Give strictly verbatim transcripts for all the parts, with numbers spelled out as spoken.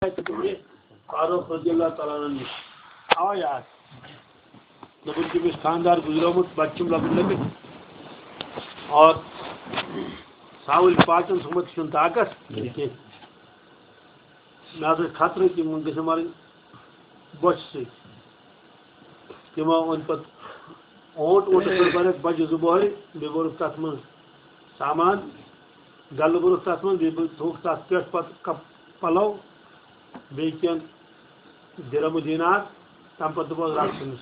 فاروق رضی اللہ تعالیٰ عنہ نِش۔ آو یاد۔ دوٚپُن، تٔمِس خانٛدار گُزریومُت، بَچہٕ چھِم لۄکٕٹۍ لۄکٕٹۍ۔ اور ژھاوٕلۍ پاژَن سُمبتھ چھُنہٕ طاقت کینٛہہ۔ مےٚ ہسا چھُ خطرٕ کہِ وۄنۍ گٔژھۍ مَرٕنۍ بۄچھِ سۭتۍ۔ تِمو اوٚن پَتہٕ اوٗنٹ، اوٗنٹَس منٛز بَرٮ۪کھ بَجہِ زٕ بۄہرِ، بیٚیہِ بوٚرُکھ تَتھ منٛز سامان، گَلہٕ بوٚرُکھ تَتھ منٛز، بیٚیہِ بوٚر-، تھوٚوُکھ تَتھ پٮ۪ٹھ پَتہٕ کَپ-، پَلَو، بیٚیہِ کینٛہہ دِرہم و دینار، تَمہِ پَتہٕ دوٚپُکھ، "رَٹھ أمِس۔"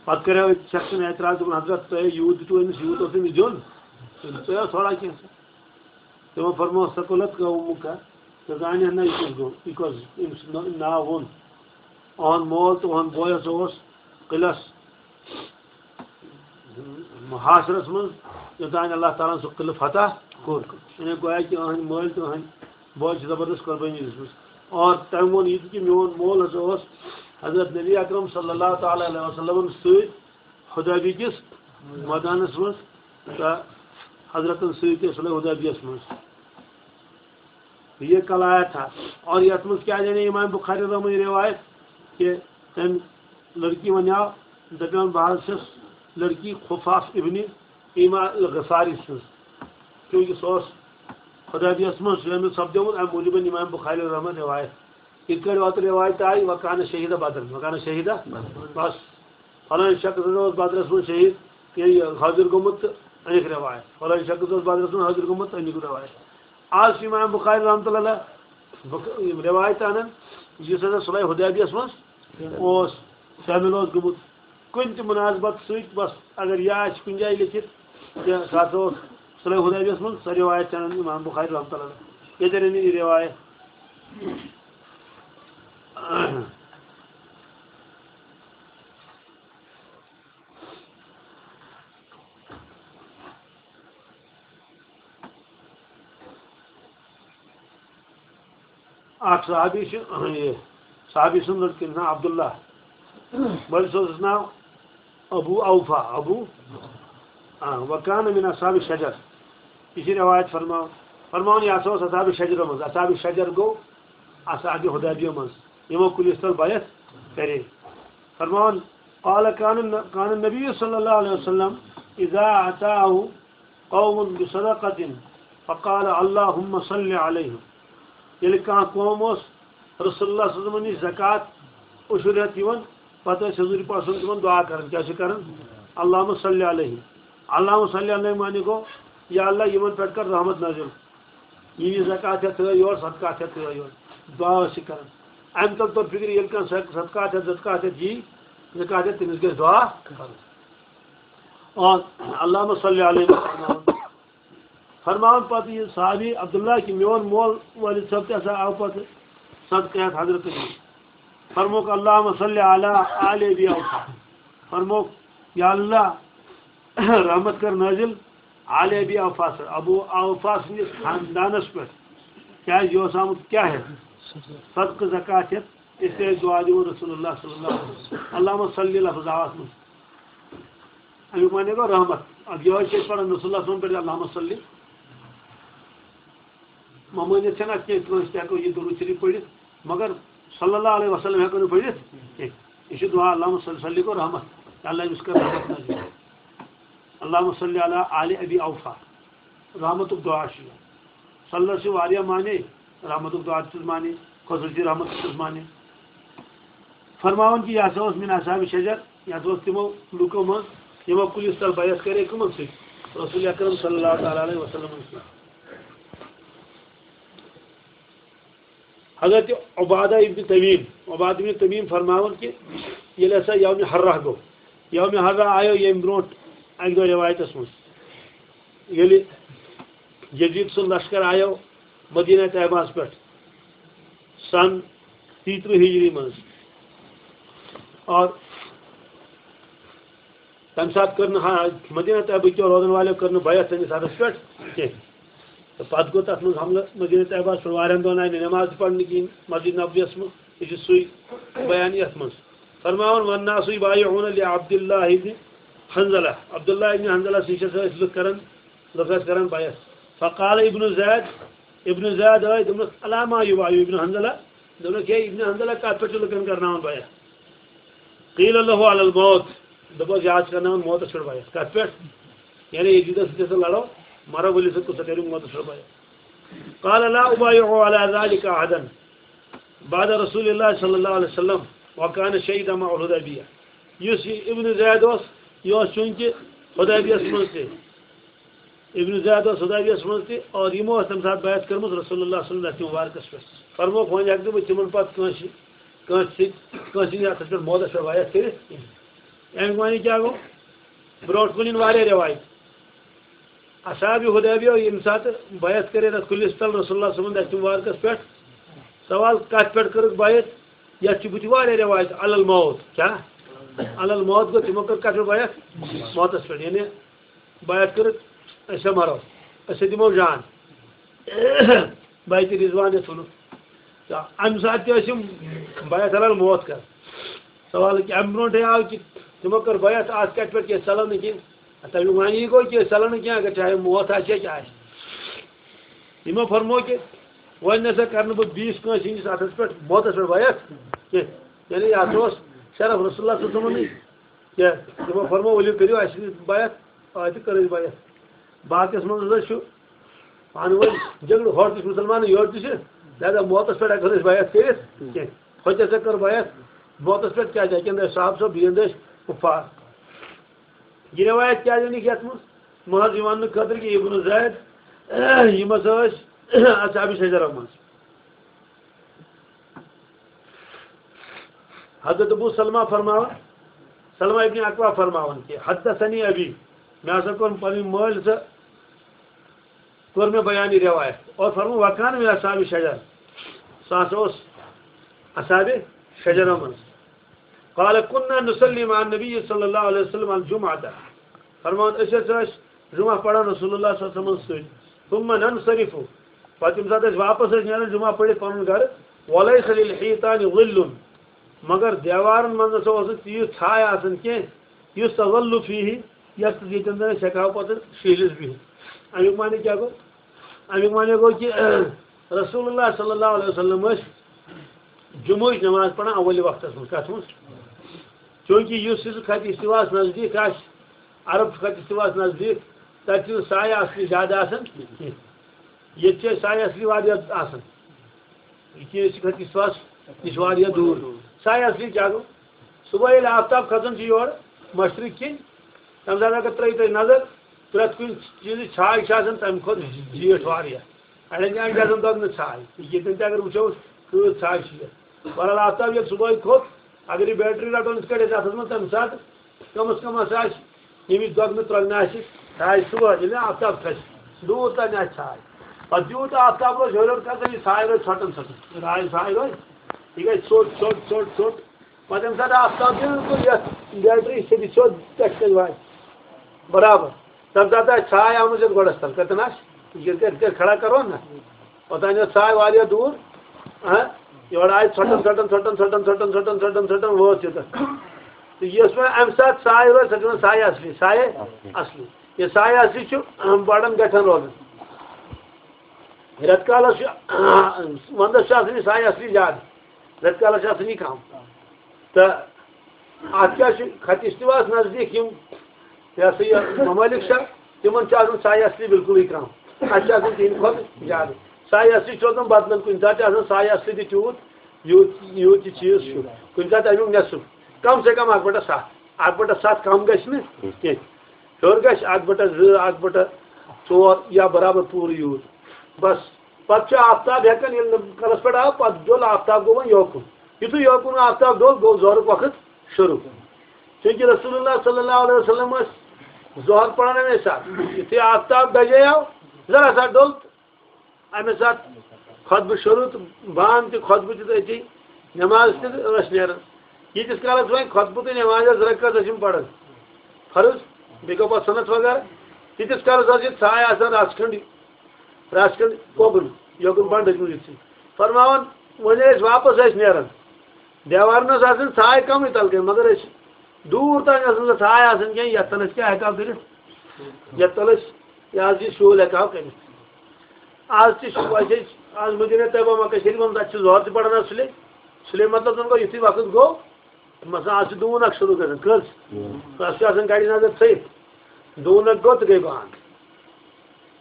پَتہٕ کَریو أکۍ شخصن اعتراض، دوٚپُن، "حضرت، تۄہہِ یوٗت دِتوُ أمِس، یوٗت اوس أمِس دیُن، تۄہہِ اوس تھوڑا کینٛہہ۔" تِمو فرموو، "ثقلت قومک"، ژےٚ زانہِ نہ یہِ کُس گوٚو، یہِ کۄس أمۍ سُنٛد نا-، ناو ووٚن۔ اُہُنٛد مول تہٕ اُہُنٛد بوے ہسا اوس قلعس محاصرس منٛز، یوٚتام اللہ تعالیٰ ہن سُہ قلعہٕ فتح کوٚر۔ یعنی گویا کہِ أہنٛدۍ مٲلۍ تہٕ أہنٛدۍ بوے چھِ زبردست قربٲنی دِژمٕژ۔ اور تٔمۍ ووٚن یہِ تہِ کہِ میون مول ہسا اوس حضرت نبی اکرم صلی اللہ تعالیٰ علیہ وسلمن سۭتۍ حدیبیہ کِس مٲدانس منٛز تہٕ حضرتن سۭتۍ تہِ صلح حدیبیہس منٛز۔ یہ کل آیا تھا۔ اور یتھ منٛز کیٛاہ جانے امام بخاری رحمہ اللہ روایت کہ تٔمۍ لڑکی ونیاو، دپیون، "بہٕ حظ چھَس لڑکی خفاف ابن ایما الغفاری سٕنٛز"، کیونکہ سُہ اوس حدیبیہس منٛز شٲمِل سپدیومُت، امہِ موٗجوٗب امام بخاری رحمہ روایت۔ یِتھ کٲٹھۍ اوترٕ رِوایت آیہِ، "وکان شہیدہ بدر"، وکان شہیدہ، بس۔ فلٲنۍ شخص ہسا اوس بدرس منٛز شہید، یہِ حٲضِر گوٚمُت تہٕ أنِکھ رِوایت۔ فلٲنۍ شخص اوس بدرس منٛز حٲضِر گوٚمُت تہٕ أنِکھ رِوایت۔ آز چھُ امام بخاری رحمتہ اللہ علیہ بخ-، یِم رِوایت انان، یُس ہسا صلح حدیبیہس منٛز اوس، شٲمِل اوس گوٚمُت۔ کُنہِ تہِ مناسبت سۭتۍ، بس اگر یہِ آسہِ کُنہِ جایہِ لیٚکھِتھ، یہِ سُہ ہسا اوس صلح حدیبیہس منٛز، سۄ رِوایت چھِ انان امام بخاری رحمتہ اللہ علیہ۔ ییٚتٮ۪ن أنِو یہِ رِوایت۔ اکھ صحابی چھُ، یہِ صحابی سُنٛد لٔڑکہٕ ناو عبداللہ، مٲلِس اوسُس ناو ابو اوفا، ابو، آ، وکان من اصحاب شجر۔ یہِ چھِ رِوایت فرماوان، فرماوان، یہِ ہسا اوس اصحاب شجرو منٛز۔ اصحاب شجر گوٚو اصحاب حدیبیہ منٛز، یِمو کُلِس تل بیعت کرے۔ فرماوان، قال کان، کان النبی صلی اللہ علیہ وسلم اذا اتاه قوم بصدقة فقال اللهم صل عليهم۔ ییٚلہِ کانٛہہ قوم اوس رسول اللہ صلی اللہ علیہ وسلم نِش زکوٰۃ عشر ہٮ۪تھ یِوان، پتہٕ ٲسۍ حضوٗرِ پاک صلی اللہ علیہ وسلم تِمن دُعا کران۔ کیٛاہ چھِ کران؟ اللہم صلی علیہم۔ اللہم صلی علیہم معنی گوٚو، یا اللہ، یِمن پٮ۪ٹھ کر رحمت نٲزِل۔ یہِ یہِ زکوٰۃ ہٮ۪تھ تھٲیو یور، صدقات ہٮ۪تھ تھٲیو یور۔ دُعا ٲسۍ یہِ کران۔ اَمہِ تل توٚر فِکرِ، ییٚلہِ کانٛہہ صدقات ہٮ۪تھ، زکوٰۃ ہٮ۪تھ یی، زکوٰۃ ہٮ۪تھ، تٔمِس گژھِ دُعا کرُن۔ اور اللہم صلی علیہ وسلم۔ فرماوان پتہٕ یہِ صحابی عبداللہ کہِ میون مول والد صٲب تہِ ہسا آو پتہٕ صدقہٕ ہٮ۪تھ حضرت نِش۔ فرموکھ، اللہم صلی علی آل ابی اوفا۔ فرموکھ، یا اللہ، رحمت کر نٲزِل آل ابی اوفا سر، ابو اوفا سٕنٛدِس خاندانس پٮ۪ٹھ۔ کیٛازِ یہِ اوس آمُت کیٛاہ ہٮ۪تھ؟ صدقہٕ زکوٰۃ ہٮ۪تھ۔ اس لیے دعا دِوان رسول اللہ صلی اللہ علیہ وسلم۔ اللہم صلی لفظ آو اتھ منٛز۔ اَمیُک معنی گوٚو رحمت۔ اب یِہوٚے چھِ أسۍ پَران رسول اللہ صلی اللہ علیہ وسلم پٮ۪ٹھ، اللہم صلی۔ ممٲنِتھ چھَنہٕ اَتھ کینٛہہ، کٲنٛسہِ تہِ ہٮ۪کو یہِ درود شریف پٔرِتھ، مگر صلی اللہ علیہ وسلم ہٮ۪کو نہٕ پٔرِتھ کینٛہہ۔ یہِ چھُ دُعا، اللہم صلی، صلی گوٚو رحمت۔ یا اللہ، أمِس کر رحمت نٲزِل۔ اللہم صلی علی آل ابی اوفا۔ رحمتُک دُعا چھُ یہِ۔ صلی اللہ چھِ واریاہ معنی، رحمتُک دُعا تہِ چھُس معنی، خصوٗصی رحمت تہِ چھُس معنی۔ فرماوان کہِ یہِ ہسا اوس من اصحاب شجر، یہِ ہسا اوس تِمو لُکو منٛز یِمو کُلِس تل بیعت کرے کٕمن سۭتۍ؟ رسول اکرم صلی اللہ تعالیٰ علیہ وسلم سۭتۍ۔ حضرت عبادہ ابن تمیم، عبادہ ابن تمیم فرماوان کہِ ییٚلہِ ہسا یومِ حرہ گوٚو، یومِ حرہ آیو ییٚمہِ برونٛٹھ اکہِ دۄہ رِوایتس منٛز، ییٚلہِ یزید سُنٛد لشکر آیو مدینہ طیبہس پٮ۪ٹھ سن تیترٕہ ہجری منٛز۔ اور تَمہِ ساتہٕ کٔر نہٕ ہا-، مدینہ طیبہٕ کیو روزن والٮ۪و کٔر نہٕ بیعت تٔمِس حدس پٮ۪ٹھ کینٛہہ۔ تہٕ پتہٕ گوٚو تَتھ منٛز حملہٕ مدینہ طیبہس پٮ۪ٹھ، واریاہن دۄہن آیہِ نہٕ نٮ۪ماز تہِ پرنہٕ کِہیٖنۍ مسجد نبویس منٛز۔ یہِ چھُ سُے بیان یَتھ منٛز۔ فرماوان، والناس یبایعون لعبد اللہ ابن حنظلہ۔ عبداللہ ابن حنظلہ سٕے چھِ أسۍ لُکھ کران، لُکھ ٲسۍ کران بیعت۔ فقال ابن زید، ابن زید آے، دوٚپنَس، "علی ما یبایع ابن حنظلہ؟" دوٚپنَس، "ہے ابن حنظلہ، کَتھ پٮ۪ٹھ چھُ لُکَن کرناوان بیعت؟" قیل لہ علی الموت، دوٚپُس، "یہِ حظ چھُ کرناوان موتَس پٮ۪ٹھ بیعت۔" کَتھ پٮ۪ٹھ؟ یعنی ییٚتہِ یوٗتاہ سۭتۍ ہسا لڑو، مرو ؤلِو سۭتۍ، کُس سا کَرِ موتَس پٮ۪ٹھ بیعت؟ قال لا ابایع علی ذلک احدا بعد رسول اللہ صلی اللہ علیہ وسلم وکان شہید مع الحدیبیہ۔ یُس یہِ ابن زید اوس، یہِ اوس چوٗنٛکہِ حدیبیہس منٛز تہِ، ابن زید اوس حدیبیہس منٛز تہِ، اور یِمو ٲس تَمہِ ساتہٕ بیعت کٔرمٕژ رسول اللہ صلی اللہ علیہ وسلم مبارکس پٮ۪ٹھ۔ فرمووُکھ، وۄنۍ ہٮ۪کہٕ نہٕ بہٕ تِمن پتہٕ کٲنٛسہِ، کٲنٛسہِ سۭتۍ، کٲنٛسہِ ہٕنٛدِ اَتھس پٮ۪ٹھ موتس پٮ۪ٹھ بیعت کٔرِتھ کِہیٖنۍ۔ اَمیُک معنی کیٛاہ گوٚو؟ برونٛٹھ کُن یِن واریاہ رٮ۪وایت۔ اصحاب حدیبیہ ییٚمہِ ساتہٕ بیعت کٔرِتھ اَتھ کُلِس تل رسول اللہ صلی اللہ علیہ وسلم دَستہِ مبارکس پٮ۪ٹھ، سوال کَتھ پٮ۪ٹھ کٔرٕکھ بیعت؟ یَتھ چھِ بُتھِ واریاہ رٮ۪وایت، علی الموت۔ کیٛاہ؟ علی الموت گوٚو، تِمو کٔر کَتھ پٮ۪ٹھ بیعت؟ موتس پٮ۪ٹھ، یعنی بیعت کٔرٕکھ، أسۍ ہا مَرو، أسۍ ہا دِمو جان۔ بیعت رضوان یَتھ وَنو۔ تہٕ اَمہِ ساتہٕ تہِ ٲسۍ یِم بیعت علی الموت کران۔ سوال کہِ اَمہِ برونٛٹھٕے آو کہِ تِمو کٔر بیعت، اَتھ کَتہِ پٮ۪ٹھ کینٛہہ ژَلان نہٕ کینٛہہ۔ تَمیُک معنی گوٚو کہِ أسۍ ژَلو نہٕ کینٛہہ، اگر چاہے موت آسہِ یا کیٛاہ آسہِ۔ یِمو فرموو کہِ وۄنۍ نہ سا کَرٕ نہٕ بہٕ بیٚیِس کٲنٛسہِ ہِنٛدِس اَتھَس پٮ۪ٹھ موتَس پٮ۪ٹھ بیعت کینٛہہ۔ یعنی یَتھ اوس شرف رسول اللہ صلی اللہ علیہ وسلمٕے۔ کینٛہہ۔ تِمو فرموو، "ؤلِو کٔرِو اَسہِ سۭتۍ بیعت"، آے تہٕ کٔر اَسہِ بیعت۔ باقیَس منٛز ہسا چھُ پانہٕ ؤنۍ جھگڑٕ، ہورٕ تہِ چھِ مُسلمان، یورٕ تہِ چھِ، لہذا موتَس پٮ۪ٹھ ہٮ۪کو نہٕ أسۍ بیعت کٔرِتھ کینٛہہ۔ ہۄتہِ ہسا کٔر بیعت موتَس پٮ۪ٹھ، کیٛازِ اَتہِ اَندٕ ٲسۍ صحابہٕ صٲب، بیٚیہِ اَندٕ ٲسۍ کُفار۔ یہِ رٮ۪وایت کیٛازِ أنِکھ یَتھ منٛز؟ محض یہِ وَننہٕ خٲطرٕ کہِ ابن زید، یِم ہسا ٲسۍ اصحاب شجرہ منٛز۔ حضرت ابو سلمہ فرماوان، سلمہ ابن اکوع فرماوان کہ حدثنی ابی، مےٚ ہسا کوٚر پنٕنۍ مٲلۍ سۭتۍ، کوٚر مےٚ بیان یہِ رٮ۪وایت۔ اور فرموو، وکان من اصحاب شجر، سُہ ہسا اوس اصحاب شجرہ منٛز۔ قال کنا نصلی مع النبی صلی اللہ علیہ وسلم الجمعۃ۔ فرماوان، أسۍ ہسا ٲسۍ جمعہ پران رسول اللہ صلی اللہ علیہ وسلم سۭتۍ۔ ثم ننصرف۔ پتہٕ ییٚمہِ ساتہٕ أسۍ واپس ٲسۍ نیران جمعہ پٔرِتھ پنُن گرٕ، ولیس للحیطان ظل۔ مگر دیوارن منٛز نسا اوس نہٕ تیٖژ چھاے آسان کینٛہہ، یُس تظل فیہ، یتھ ییٚتٮ۪ن زن أسۍ ہٮ۪کہٕ ہاو پتہٕ شیٖلِتھ بِہِتھ۔ امیُک معنی کیٛاہ گوٚو؟ امیُک معنی گوٚو کہِ رسول اللہ صلی اللہ علیہ وسلم ٲسۍ جمعٕچ نماز پران اولِ وقتس منٛز۔ کتھ منٛز؟ چونکہ یُس یُس خط استواہس نزدیٖک آسہِ، عرب چھُ خط استواہس نزدیٖک، تتہِ چھُنہٕ سایہِ اصلی زیادٕ آسان کینٛہہ۔ ییٚتہِ چھِ سایہِ اصلی واریاہ آسان۔ یہِ چھِ أسۍ خط استواہس نِش واریاہ دوٗر۔ سایہِ اصلی کیٛاہ گوٚو؟ صبحٲے ییٚلہِ آفتاب کھسان چھُ یورٕ مشرق کِنۍ، تمہِ ساتہٕ اگر ترٲیِو تُہۍ نظر، پرٛٮ۪تھ کُنہِ چیٖزٕچ چھاے چھِ آسان تمہِ کھۄتہٕ زیٖٹھ واریاہ۔ اڑٮ۪ن جاین چھِ آسان دۄگنہٕ چھاے۔ ییٚتٮ۪ن تہِ اگر وٕچھو، کۭژ چھاے چھِ یتھ۔ بہرحال، آفتاب ییٚلہِ صبحٲے کھوٚت، اگر یہِ بیٹری رٹو أسۍ کٔڑِتھ اتھس منٛز، تمہِ ساتہٕ کم از کم ہسا آسہِ ییٚمِچ دۄگنہٕ ترٛۄگنہٕ آسہِ، چھاے صبحٲے، ییٚلہِ نہٕ آفتاب کھسہِ، دوٗر تام آسہِ چھاے۔ پتہٕ یوٗت آفتاب روزِ ہیوٚر ہیوٚر کھسان، یہِ چھاے روزِ ژھۄٹن ژھۄٹن۔ راے چھاے روزِ، یہِ گژھِ ژھوٚٹ، ژھوٚٹ، ژھوٚٹ، ژھوٚٹ۔ پتہٕ ییٚمہِ ساتہٕ آفتاب بِلکُل یتھ بیٹری سۭتۍ سیوٚد پٮ۪ٹھٕ کنہِ واتہِ، برابر۔ تَمہِ ساتہٕ آسہِ چھاے آمٕژ یَتھ گۄڈَس تَل، کَتٮ۪ن آسہِ؟ یِتھ کٔنۍ، یِتھ کٔنۍ کھڑا کَرون نہ، اوٚتام یۄس چھاے واریاہ دوٗر، ہاں، یورٕ آیہِ ژھۄٹَن، ژھۄٹَن، ژھۄٹَن، ژھۄٹَن، ژھۄٹَن، ژھۄٹَن، ژھۄٹَن، ژھۄٹَن وٲژ یوٚتَن۔ تہٕ یۄس وۄنۍ اَمہِ ساتہٕ چھاے روزِ، سۄ چھِ وَنان چھاے اَصلی، چھاے اَصلی۔ یہِ چھاے اَصلی چھُ، اَہَم، بَڑَن گَٹھَن روزان۔ رٮ۪تہٕ کالَس چھُ، وَندَس چھُ آسان یہِ چھاے اَصلی زیادٕ، رٮ۪تہٕ کالَس چھُ آسان یہِ کَم۔ تہٕ اَتھ کیٛاہ چھُ، خط استواہَس نزدیٖک یِم، یہِ ہسا یہِ، ممٲلِک چھِ، تِمَن چھُ آسان چھاے اَصلی بِلکُلٕے کَم۔ اَتہِ چھُ آسان تِہِنٛدِ کھۄتہٕ زیادٕ۔ چھاے اَصلی چھُ روزان بدلن، کُنہِ ساتہٕ چھُ آسان چھاے اَصلی تہِ تیوٗت، یوٗت، یوٗت یہِ چیٖز چھُ۔ کُنہِ ساتہٕ اَمیُک نٮ۪صٕف، کم سے کم اَکھ بٹہ ستھ۔ اَکھ بٹہ ستھ کم گژھِ نہٕ کینٛہہ۔ ہیوٚر گژھِ اَکھ بٹہ زٕ، اَکھ بٹہ ژور یا برابر پوٗرٕ یوٗت۔ بس، پتہٕ چھُ آفتاب ہٮ۪کان، ییٚلہِ نہٕ کَلَس پٮ۪ٹھ آو، پتہٕ ڈوٚل آفتاب، گوٚو وۄنۍ یوکُن۔ یُتھُے یوکُن آفتاب ڈوٚل، گوٚو ظہرُک وقت شروٗع۔ چونکہ رسول اللہ صلی اللہ علیہ وسلم ٲسۍ ظہر پران اَمے ساتہٕ۔ یُتھُے آفتاب دَجے آو، ذرا سا ڈوٚل، اَمے ساتہٕ خطبہٕ شروٗع تہٕ بانگ تہِ، خطبہٕ تہِ تہٕ أتی نٮ۪ماز تہِ تہٕ ٲسۍ نیران۔ ییٖتِس کالَس وۄنۍ خطبہٕ تہٕ نٮ۪ماز ٲس رکعت ٲسۍ یِم پران، فرض، بیٚیہِ گوٚو پَتہٕ سُنت وغیرہ، تیٖتِس کالَس ٲس یہِ ژھاے آسان رَژھ کھنٛڈ، رَژھ کھنٛڈ کوٚبُن، یوکُن بنٛڈٕ کُن یُتھُے۔ فرماوان، وۄنۍ ٲسۍ واپس ٲسۍ نیران، دیوارن ٲس آسان ژھاے کمٕے تَلہٕ کنہِ، مگر أسۍ دوٗر تام ٲس نہٕ سۄ ژھاے آسان کینٛہہ، یَتھ تَل أسۍ کیٛاہ ہٮ۪کہٕ ہاو کٔرِتھ، یَتھ تَل أسۍ یہِ حظ یہِ شُہُل ہٮ۪کہٕ ہاو کٔرِتھ۔ آز تہِ چھُ وۄنۍ چھِ أسۍ آز مدینہ طیبہ مکہ شریف منٛز، تَتہِ چھِ ظہر تہِ پران آز سُلے۔ سُلے مطلب زَن گوٚو یُتھُے وقت گوٚو، مثلاً آز چھِ دوٗن اکھ شروع گژھان۔ کٔژ؟ ژٕ چھِ آسان گرِ نظر تھٲیِتھ، دوٗن اکھ گوٚو تہٕ گٔے بنٛد۔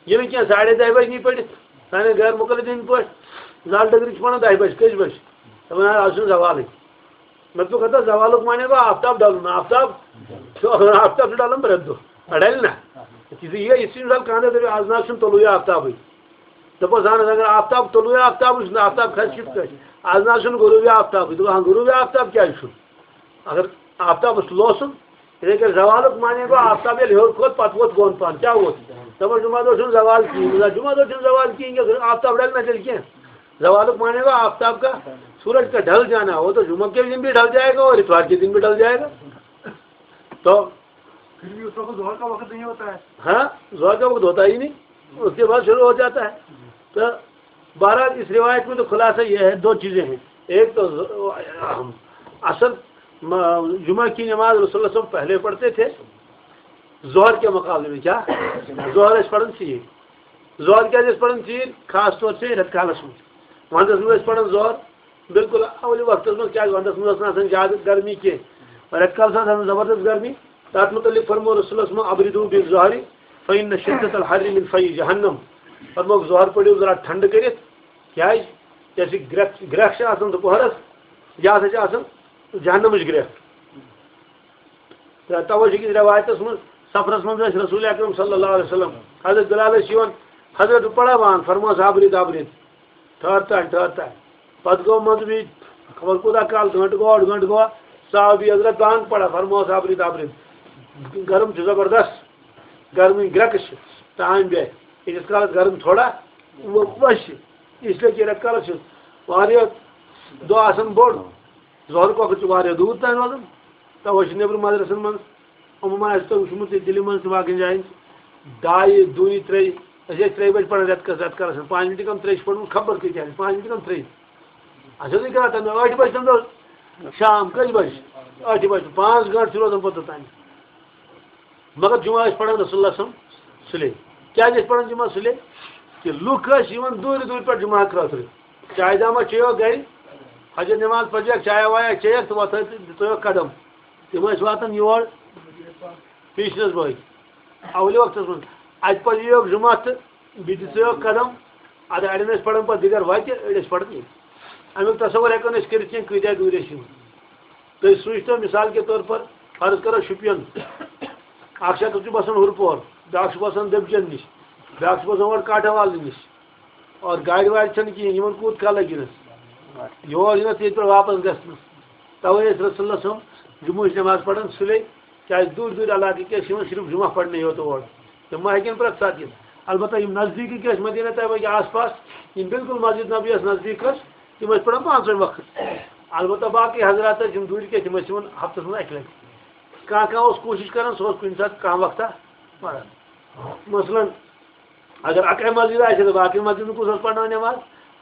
یہِ نہٕ کینٛہہ، ساڑے دَہہِ بجہِ نی پٔرِتھ، سانٮ۪ن غیر مقلدیٖن پٲٹھۍ، زال ڈگرِ چھِ پَران دَہہِ بجہِ، کٔژِ بجہِ؟ دَپان، آز چھُنہٕ زوالٕے۔ مےٚ دوٚپ، ہتا زوالُک معنی گوٚو آفتاب ڈَلُن، آفتاب چھُ، آفتاب چھُ ڈَلان پرٛٮ۪تھ دۄہ، ڈَلہِ نہ؟ یہِ چھُ یہِ، یہِ چھُ مثال کانٛہہ دَپہِ، آز نہ حظ چھُنہٕ طلوٗع آفتابٕے۔ دَپوس، اہن حظ، اگر آفتاب طلوٗع آفتابٕے چھُنہٕ، آفتاب کھسہِ کِتھ پٲٹھۍ؟ آز نہ حظ چھُنہٕ غروٗبی آفتابٕے۔ دوٚپُن، ہاں، غروٗبی آفتاب کیٛازِ چھُنہٕ؟ اگر آفتابَس لوسُن، یِتھَے کٔنۍ زوالُک معنی گوٚو، آفتاب ییٚلہِ ہیوٚر کھوٚت، پَتہٕ ووت بۄن پَہَن۔ کیٛاہ ووت؟ دَپان، جمعہ دۄہ چھُنہٕ زوال کِہیٖنۍ۔ نہ، جمعہ دۄہ چھُنہٕ زوال کِہیٖنۍ، کیٛازِ آفتاب ڈَلہِ نہ تیٚلہِ کینٛہہ۔ زوالُک معنی گوٚو، آفتاب کا سورج کا ڈھل جانا، وہ تو جمعہ کے دن بھی ڈھل جائے گا اور اتوار کے دن بھی ڈھل جائے گا۔ تو پھر بھی اس وقت ظہر کا وقت نہیں ہوتا ہے۔ ہاں، ظہر کا وقت ہوتا ہی نہیں، اس کے بعد شروع ہو جاتا ہے۔ تو بہرحال، اس روایت میں تو خلاصہ یہ ہے، دو چیزیں ہیں۔ ایک تو ز-، اصل م-، جمعہ کی نماز رسول اللہ صلی اللہ علیہ وسلم پہلے پڑھتے تھے، ظہر کے مقابلے میں۔ کیا؟ ظہر ٲسۍ پران ژیٖرۍ۔ ظہر کیٛازِ ٲسۍ پران ژیٖرۍ؟ خاص طور سے رٮ۪تہٕ کالس منٛز۔ ونٛدس منٛز ٲسۍ پران ظہر بالکل اولِ وقتس منٛز، کیٛازِ ونٛدس منٛز ٲس نہٕ آسان زیادٕ گرمی کینٛہہ، رٮ۪تہٕ کالس ٲس آسان زبردست گرمی۔ تتھ متعلق فرموو رسول اللہ صلی اللہ علیہ وسلم، "ابردو بالظہر فإن شدة الحر من فی جہنم"۔ فرمووُکھ، ظہر پٔرِو ذرا ٹھنڈٕ کٔرِتھ، کیٛازِ؟ کیٛازِ گرٛٮ۪کھ، گرٛٮ۪کھ چھِ آسان دُپہرس، یہِ ہسا چھِ آسان جہنمٕچ گرٛٮ۪کھ۔ تہٕ توے چھِ أکِس رٮ۪وایتَس منٛز، سفرَس منٛز ٲسۍ رسول اکرم صلی اللہ علیہ وسلم، حضرت بلال ٲسۍ یِوان، "حضرت، بہٕ پَرا وان؟" فرموس، "آبرِد، آبرِد، ٹھہر تانۍ، ٹھہر تانۍ۔" پَتہٕ گوٚو منٛزٕ بیٚیہِ خبر کوٗتاہ کال، گٲنٛٹہٕ گوٚو، ڈۄڈ گٲنٛٹہٕ گوٚو، سُہ آو بیٚیہِ حضرت بانٛگ پَران، فرموس، "آبرِد، آبرِد، گرم چھُ زبردست، گرمی گرٛٮ۪کہٕ چھِ، تانۍ بیٚہہ، ییٖتِس کالَس گرم تھوڑا وَسہِ، اس لیے کہِ رٮ۪تہٕ کالَس چھُ واریاہ دۄہ آسان بوٚڑ۔" ظہرُک وقت چھُ واریاہ دوٗر تام روزان، توے چھُ نیٚبرٕ مدرسن منٛز، عموٗماً آسہِ تۄہہِ وٕچھمُت یہِ دِلہِ منٛز تہِ باقین جاین، ڈایہِ، دُے، ترٛے، أسۍ ٲسۍ ترٛیہِ بجہِ پران رٮ۪تہٕ کس، رٮ۪تہٕ کالس منٛز، پانٛژِ مِنٹہِ کم ترٛے چھِ پران، خبر کۭتیاہ آسہِ، پانٛژِ مِنٹہِ کم ترٛے۔ اَسہِ اوس یہِ کران تَمہِ دۄہ ٲٹھِ بجہِ تَمہِ دۄہ شام، کٔژِ بجہِ؟ ٲٹھِ بجہِ، پانٛژھ گٲنٛٹہٕ چھِ روزان پتہٕ توٚتام۔ مگر جمعہ ٲسۍ پران رسول اللہ صلی اللہ علیہ وسلم سُلے۔ کیٛازِ ٲسۍ پران جمعہ سُلے؟ کہِ لُکھ ٲسۍ یِوان دوٗرِ دوٗرِ پٮ۪ٹھ جمعہ خٲطرٕ۔ چایہِ دامہ چیٚیوکھ گرِ، فجر نماز پرجیکھ، چایہ وایہ چیٚیکھ تہٕ وۄتھٲے تہٕ دِژٲیوکھ قدم۔ تِم ٲسۍ واتان یور پیشنس بٲگۍ اولہِ وقتس منٛز۔ اتہِ پتہٕ ییٖوکھ جمعہ تہٕ بیٚیہِ دِژٲیوکھ قدم۔ ادٕ اڑٮ۪ن ٲسۍ پران پتہٕ دِگر وتہِ، أڑۍ ٲسۍ پران ییٚتہِ۔ امیُک تصور ہٮ۪کو نہٕ أسۍ کٔرِتھ کینٛہہ، کۭتیاہ دوٗرِ ٲسۍ یِوان۔ تُہۍ سوٗنٛچتو، مثال کے طور پر، فرض کرو شُپین، اکھ شخص چھُ بسان ہُرپور، بیٛاکھ چھُ بسان دٔبجن نِش، بیٛاکھ چھُ بسان اورٕ کاٹھوال نِش، اور گاڑِ واڑِ چھَنہٕ کِہیٖنۍ، یِمن کوٗت کال لگہِ یِنس؟ یور یِنس، ییٚتہِ پٮ۪ٹھ واپس گژھنس۔ توے ٲسۍ رسول اللہ صلی اللہ علیہ وسلم جمعہٕچ نماز پران سُلے، کیٛازِ دوٗرِ دوٗرِ علاقہٕ کیٛاہ چھِ یِوان صرف جمعہ پرنہِ یوت اور۔ تِم ما ہیٚکن پرٛٮ۪تھ ساتہٕ یِتھ؟ البتہ یِم نزدیٖکی ٲسۍ مدینہ طیبہ کہِ آس پاس، یِم بالکل مسجد نبی یَس نزدیٖک ٲسۍ، تِم ٲسۍ پران پانٛژوے وقت۔ البتہ باقٕے حضرات ٲسۍ، یِم دوٗرِ کِنۍ، تِم ٲسۍ یِوان ہفتس منٛز اَکہِ لٹہِ۔ کانٛہہ کانٛہہ اوس کوٗشِش کران، سُہ اوس کُنہِ ساتہٕ کانٛہہ وقتہ پران۔ مثلاً اگر اَکے مسجد آسہِ ہا، تہٕ باقٕے مسجدن کُس اوس پرناوان نٮ۪ماز؟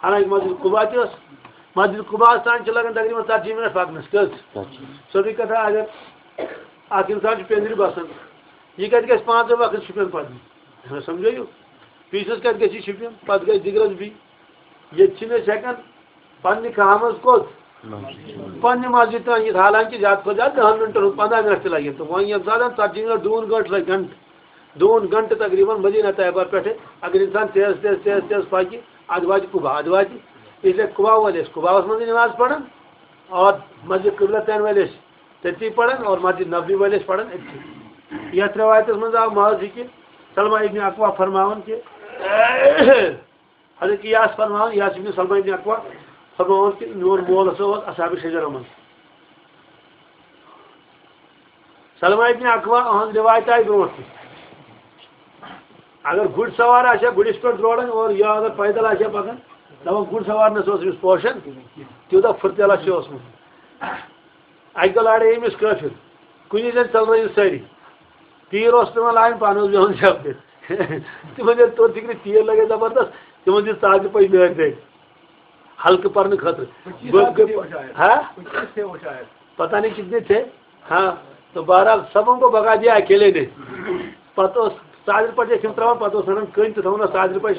حالانکہ مسجد قباء تہِ ٲس۔ مسجد قباءس تام چھِ لگان تقریباً ژتجی منٹ پکنس۔ کٔژ؟ ژتجی۔ سیوٚدُے کتھا، اگر اکھ انسان چھُ پِنٛدرِ بسان، یہِ کتہِ گژھِ پانٛژے وقت شُپین پرنہِ؟ سمجھٲیِو؟ پیٖسس کتہِ گژھِ یہِ شُپین؟ پتہٕ گژھِ دِگرس بی۔ ییٚتہِ چھِنہٕ أسۍ ہٮ۪کان پننہِ کامہِ منٛز کوٚت؟ مسجد۔ پننہِ مسجد تام یِتھ، حالانکہ زیادٕ کھۄتہٕ زیادٕ دَہَن مِنٹَن ہُنٛد، پنٛداہ مِنٹ تہِ لَگن۔ تہٕ وۄنۍ ییٚمہِ ساتہٕ ژَتجی مِنٹ، دوٗن گٲنٛٹہٕ لَگہِ گھنٹہٕ، دوٗن گھنٹہٕ تقریٖباً مدینہ طیبہ پٮ۪ٹھٕ اگر اِنسان تیز تیز تیز تیز پَکہِ، اَدٕ واتہِ قُبا، اَدٕ واتہِ۔ اس لیے قُبا وٲلۍ ٲسۍ قُباہَس منٛزٕے نٮ۪ماز پَران، اور مسجد قبلتین وٲلۍ ٲسۍ تٔتی پَران، اور مسجد نبوی وٲلۍ ٲسۍ پَران أتھی۔ یَتھ رِوایتَس منٛز آو محض یہِ کہِ سلمہ ابن اکوع فرماوان کہِ حضرت قیاس فرماوان، قیاس ابن سلمہ ابن اکوع فرماوان کہِ میون مول ہسا اوس اصحاب شجرہ منٛز۔ سلمہ ابن اکوع، اہنٛز روایت آیہِ برونٛٹھ تہِ۔ اگر گُرۍ سوار آسہِ ہا، گُرِس پٮ۪ٹھ دوران اور یا اگر پیدل آسہِ ہا پکان، دپان گُرۍ سوار نہ سا اوس أمِس پوشان، تیوٗتاہ پھُرتیلا چھُ اوسمُت۔ اَکہِ دۄہ لارے أمِس کٲفِر، کُنی زٔنۍ ژٔلرٲیِو سٲری۔ تیٖر اوس پٮ۪وان لاگُن، پانہٕ اوس بیٚہوان شب دِتھ۔ تِمن ییٚلہِ توٚر فِکرِ تیٖر لگے زبردست، تِمن دِژ ژادرِ پٔچ نٲرۍ دٲرۍ ہلکہٕ پرنہٕ خٲطرٕ۔ کُنہِ چیٖز بہٕ، آسہِ بہٕ، تہِ وٕچھان۔ ہا؟ کُنہِ چیٖز تہِ وٕچھان۔ پتہ نہیں کتنے تھے۔ ہاں، تو بہرحال سب کو بھگا دیا اکیلے نے۔ پتہٕ اوس ژادرِ پٔچ ٲسۍ تِم ترٛاوان، پتہٕ اوس انان کٔنۍ تہٕ تھاوان ٲس ژادرِ پٔچ۔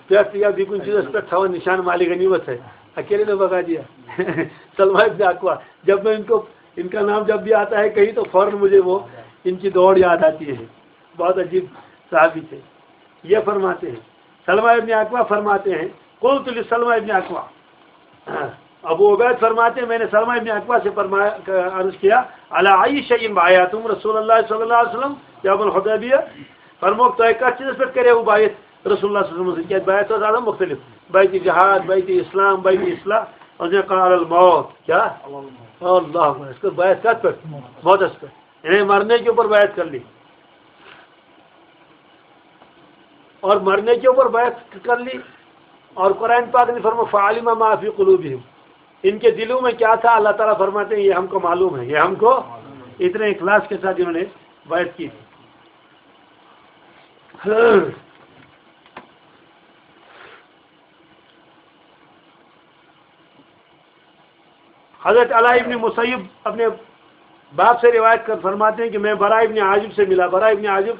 پہ یا بیکن چیز پر تھاؤ نشان مالک غنیمت ہے۔ اکیلے نے بگا دیا۔ سلمہ ابن اکوا، جب میں ان کو، ان کا نام جب بھی آتا ہے کہیں تو فوراً مجھے وہ ان کی دوڑ یاد آتی ہے۔ بہت عجیب صحابی تھے۔ یہ فرماتے ہیں، سلمہ ابن اکوا فرماتے ہیں، قلت لسلمہ ابن اکوا، ابو عبید فرماتے ہیں، میں نے سلمہ ابن اکوا سے فرمایا، عرض کیا، علی ای شیء بایعتم رسول اللہ صلی اللہ علیہ وسلم یوم الحدیبیہ؟ فرموک، تۄہہِ کتھ چیٖزس پٮ۪ٹھ کریوٕ بیعت رسول اللہ صلی اللہ علیہ وسلم سۭتۍ؟ کیٛازِ بیعت ٲس آسان مُختٔلِف، بیعت جہاد، بیعت اسلام، بیعت اصلاح۔ اور نے قال الموت، کیا؟ اللہ اکبر، اس کو بیعت کتھ پٮ۪ٹھ؟ موتس پٮ۪ٹھ۔ یعنی مرنے کے اوپر بیعت کر لی۔ اور مرنے کے اوپر بیعت کر لی۔ اور قرآن پاک نے فرمایا، فعلم ما فی قلوبہم، ان کے دلوں میں کیا تھا، اللہ تعالیٰ فرماتے ہیں، یہ ہم کو معلوم ہے، یہ ہم کو، اتنے اخلاص کے ساتھ انہوں نے بیعت کی تھی۔ حضرت علاء ابن مسیب اپنے باپ سے روایت کر فرماتے ہیں کہ میں براء ابن عازب سے ملا۔ براء ابن عازب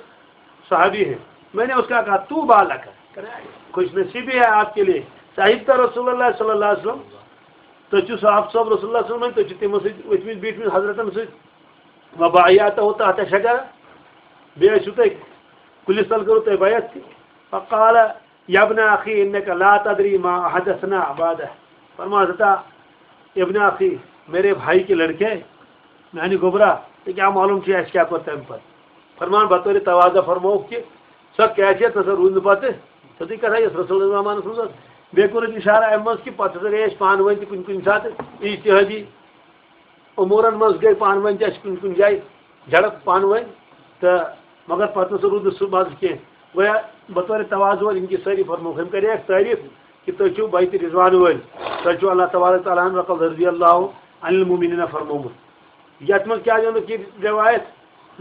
صحابی ہے۔ میں نے اس کا کہا، طوبی لک، خوش نصیبی ہے آپ کے لیے، صحبت رسول اللہ صلی اللہ علیہ وسلم، تُہۍ چھِو صحابہ صٲب رسول اللہ صلی اللہ علیہ وسلم، تُہۍ چھِو تِمن سۭتۍ ؤتھمٕتۍ بیٖٹھمٕتۍ حضرتن سۭتۍ، وبایعتہ تحت شجرہ، بیٚیہِ ٲسِو تُہۍ کُلِس تل کٔرٕو تۄہہِ بیعت تہِ۔ فقال، یا ابن اخی انک لا تدری ما احدثنا بعدہ۔ فرمان ہسا، ابن اخی، میرے بھائی کے لڑکے، میانہِ گوٚبرا، ژےٚ کیٛاہ معلوم چھُے اَسہِ کیٛاہ کوٚر تَمہِ پتہٕ؟ فرمان بطور تواضع فرمووُکھ کہِ سۄ کیفیت ہسا روٗز نہٕ پتہٕ تِتھُے کتھا یۄس رسول اللہ زمانس منٛز ٲس۔ بیٚیہِ کوٚر اَتہِ اشارہ اَمہِ منٛز کہِ پتہٕ ہسا گٔے أسۍ پانہٕ ؤنۍ تہِ کُنہِ کُنہِ ساتہٕ اجتہٲدی امورن منٛز گٔے پانہٕ ؤنۍ تہِ اَسہِ کُنہِ کُنہِ جایہِ جھڑپ پانہٕ ؤنۍ، تہٕ مگر پتہٕ نسا روٗد نہٕ سُہ مزٕ کینٛہہ۔ گویا بطور تواضع یِم کہِ سٲری فرموکھ، أمۍ کرے اَسہِ تعریف کہِ تُہۍ چھِو بیعت رضوان وٲلۍ، تۄہہِ چھُو اللہ تبارک تعالیٰ ہن لقد رضی اللہ عن المؤمنین فرمومُت۔ یتھ منٛز کیٛاہ چھِ اَمیُک یہِ روایت،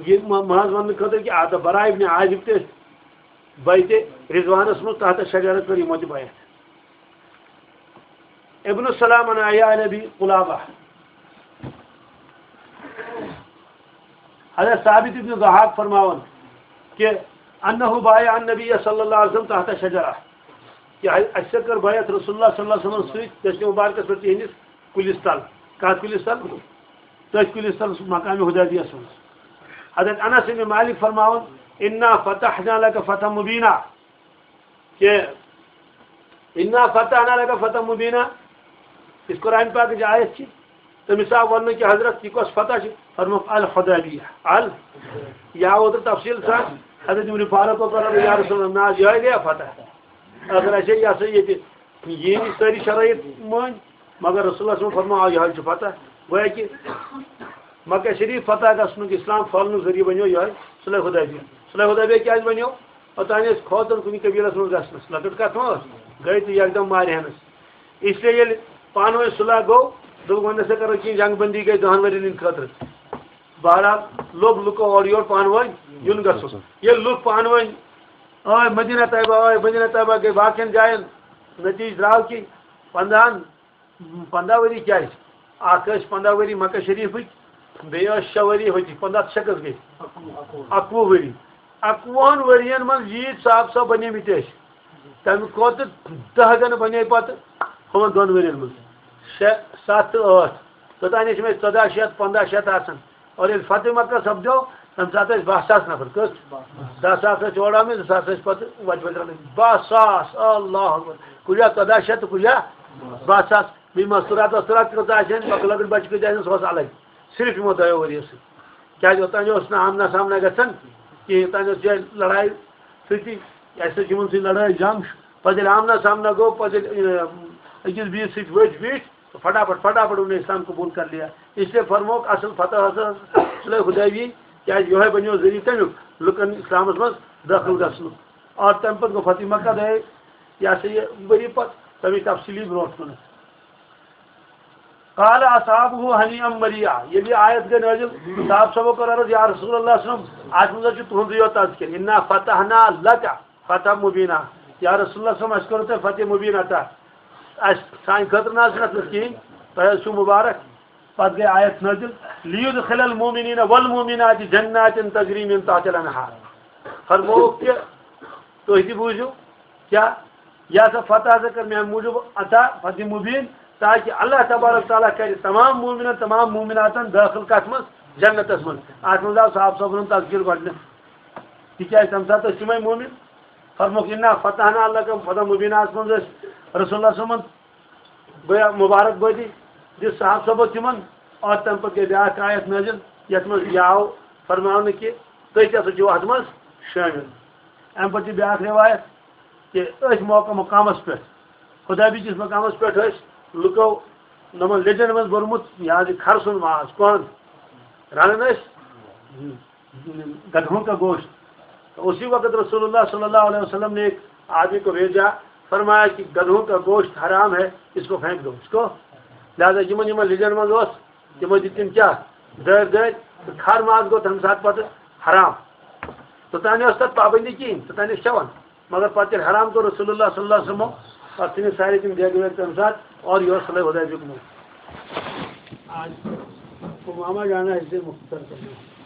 یہِ مہ-، محض وننہٕ خٲطرٕ کہِ آ، تہٕ براء ابن عازب تہِ ٲسۍ بیعت رضوانس منٛز تحت شجرہ کٔر یِمو تہِ بیعت۔ ابن السلام عن اعیان ابی قلابہ۔ حضرت ثابت ابن ضحاک فرماوان کہ انہ بایع النبی صلی اللہ علیہ وسلم تحت شجرہ، کہ اَسہِ کٔر بیعت رسول اللہ صلی اللہ علیہ وسلم سۭتۍ دٔچھنہِ مبارکس پٮ۪ٹھ تِہنٛدِس کُلِس تل۔ کتھ کُلِس تل؟ تٔتھۍ کُلِس تل مقام حدیبیہس منٛز۔ حضرت انس ابن مالک فرماوان، انا فتحنا لک فتحا مبینا، کہ انا فتحنا لک فتحا مبینا، یُس قرآن پاکٕچ آیت چھِ، تٔمِس آو وننہٕ کہِ حضرت، یہِ کۄس فتح چھِ؟ فرمووُکھ، الحدیبیہ۔ ال، یہِ آو اوترٕ تفصیٖل سان، حضرت عمر فاروق اوس ونان، یا رسول اللہ، نہ حظ، یِہوٚے گٔیا فتح۔ اگر اَسہِ یہِ ہسا ییٚتہِ یِہِنٛدۍ سٲری شرٲیط مٲنۍ، مگر رسول اللہ صلی اللہ علیہ وسلم فرموو، آ، یِہوٚے چھُ فتح۔ گویا کہِ مکہ شریف فتح گژھنُک، اسلام پھٔہلنُک ذٔریعہٕ بنیو یِہوٚے صلح حدیبیہ۔ صلح حدیبیہ کیٛازِ بنیو؟ اوٚتام ٲسۍ کھوژان کُنہِ قبیٖلس منٛز گژھنس، لۄکٕٹ کتھ ما ٲس؟ گٔے تہٕ یکدم مارِ ہنس۔ اس لیے ییٚلہِ پانہٕ ؤنۍ صلح گوٚو، دوٚپُکھ، وۄنۍ نسا کرو کینٛہہ، جنگ بندی گٔے دہن ؤرین ہٕنٛدِ خٲطرٕ۔ بہرحال لوٚگ لُکو اورٕ یورٕ پانہٕ ؤنۍ یُن گژھُن۔ ییٚلہِ لُکھ پانہٕ ؤنۍ آے مدینہ طیبہ، آے مدینہ طیبہ گٔے باقین جاین، نتیجہٕ درٛاو کہِ پنٛداہن، پنٛداہ ؤری کیٛازِ؟ اکھ ٲسۍ پنٛداہ ؤری مکہ شریفٕکۍ، بیٚیہِ ٲسۍ شےٚ ؤری ہوٚتہِ، پنٛداہ تہٕ شےٚ کٔژ گٔے؟ اَکوُہ۔ اَکوُہ ؤری۔ اَکوُہَن ؤرِین منٛز ییٖتۍ صاحب صٲب بَنیمٕتۍ ٲسۍ، تَمہِ کھۄتہٕ دَہ گَنہٕ بَنے پَتہٕ ہُمَن دۄن ؤرِین منٛز۔ شےٚ، سَتھ تہٕ ٲٹھ۔ توٚتام ٲسۍ یِمَے ژۄداہ شیٚتھ، پنٛداہ شیٚتھ آسان۔ اور ییٚلہِ فتح مکہ سپدیو، تَمہِ ساتہٕ ٲسۍ باہ ساس نفر۔ کٔژ؟ دَہ ساس ٲسۍ اورٕ آمٕتۍ، زٕ ساس ٲسۍ پَتہٕ وَتہِ وَتہِ رَٹٕنۍ۔ باہ ساس، اللہ اکبر۔ کُنہِ جایہِ ژۄداہ شیٚتھ تہٕ کُنہِ جایہِ باہ ساس۔ بیٚیہِ مستوٗرات وستوٗرات کۭژاہ آسہِ ہن، لۄکٕٹۍ لۄکٕٹۍ بَچہِ کۭتیٛاہ آسن، سُہ اوس الگ۔ صرف یِمو دۄیو ؤرِیو سۭتۍ۔ کیٛازِ اوٚتام اوس نہٕ آمنا سامنا گژھان کِہیٖنۍ، اوٚتام ٲس یِہوٚے لڑایہِ سۭتی، اَسہِ سۭتۍ یِمن سۭتۍ لڑٲے جنگ۔ پَتہٕ ییٚلہِ آمنا سامنا گوٚو، پَتہٕ ییٚلہِ، اۭں، أکِس بیٚیِس سۭتۍ ؤتھۍ بیٖٹھۍ، تہٕ فٹافٹ، فٹافٹ انہوں نے اسلام قبول کر لیا۔ اس لیے فرموک اصل فتح حضرت صلح حدیبی، کیٛازِ یِہوٚے بنیو ذٔریعہٕ کَمیُک؟ لُکن اسلامس منٛز دٲخل گژھنُک۔ اور تَمہِ پَتہٕ گوٚو فتح مکہ، دۄیے یہِ ہسا یہِ ؤری پَتہٕ، تَمِچ تفصیٖلی برونٛٹھ کُنَتھ۔ قال اصحابہ ہنیئا مریئا، ییٚلہِ یہِ آیت گٔے نٲزِل، صحابہ صٲبو کٔر عرض، یا رسول اللہ صلی اللہ علیہ وسلم، اَتھ منٛز حظ چھُ تُہُنٛدُے یوت تذکر، انا فتحنا لک فتحا مبینا، یا رسول اللہ صلی اللہ علیہ وسلم، اَسہِ کوٚر تۄہہِ فتح مبین عطا، اَسہِ، سانہِ خٲطرٕ نہ حظ چھُنہٕ اَتھ منٛز کِہیٖنۍ، تۄہہِ حظ چھُو مُبارک۔ پتہٕ گٔے آیت نٲزِل، لیدخل المؤمنین والمؤمنات جنات تجری من تحتها الانہار۔ فرمووُکھ کہِ تُہۍ تہِ بوٗزِو، کیٛاہ؟ یہِ ہسا فتح ہسا کٔر میانہِ موٗجوٗب عطا، فتح مبین، تاکہِ اللہ تبارک تعالیٰ کرِ تمام مومنن، تمام مومناتن دٲخل کتھ منٛز؟ جنتس منٛز۔ اتھ منٛز آو صاحب صٲبن ہُنٛد تذکر گۄڈٕنیتھ، تِکیازِ تمہِ ساتہٕ ٲسۍ تِمے مومن۔ فرموکھ، انا فتحنا لک فتحا مبینا۔ اتھ منٛز ٲسۍ رسول اللہ صٲبن گویا مبارک بٲدی دِژ صاحب صٲبو تِمن، اور تمہِ پتہٕ گٔے بیاکھ آیت نٲزِل، یتھ منٛز یہِ آو فرماونہٕ کہِ تُہۍ تہِ ہسا چھِو اتھ منٛز شٲمِل۔ امہِ پتہٕ چھِ بیاکھ روایت کہِ أتھۍ موقع مقامس پٮ۪ٹھ، خدابی کِس مقامس پٮ۪ٹھ ٲسۍ لُکو نوٚمن لیٚجن منٛز بوٚرمُت یہِ حظ یہِ کھرٕ سُنٛد ماز، کۄہن رنان ٲسۍ۔ گدھوں کا گوشت۔ تو اسی وقت رسول اللہ صلی اللہ علیہ وسلم نے ایک آدمی کو بھیجا، فرمایا کہ گدھوں کا گوشت حرام ہے، اس کو پھینک دو، اس کو۔ لہذا یِمن یِمن لیجن منٛز اوس، تِمو دِتۍ تِم کیٛاہ؟ دٲرۍ دٲرۍ، تہٕ کھر ماز گوٚو تَمہِ ساتہٕ پتہٕ حرام۔ توٚتانۍ ٲس تَتھ پابندی کِہیٖنۍ، توٚتانۍ ٲسۍ کھٮ۪وان۔ مگر پتہٕ ییٚلہِ حرام کوٚر رسول اللہ صلی اللہ علیہ وسلمو، پتہٕ ژھٕنِکھ سارے تِم دیگہٕ ویگہٕ تَمہِ ساتہٕ اورٕ یورٕ، صلی اللہ علیہ وسلم۔ آج وہ ماما جانا ہے، اسے مختصر کرنا۔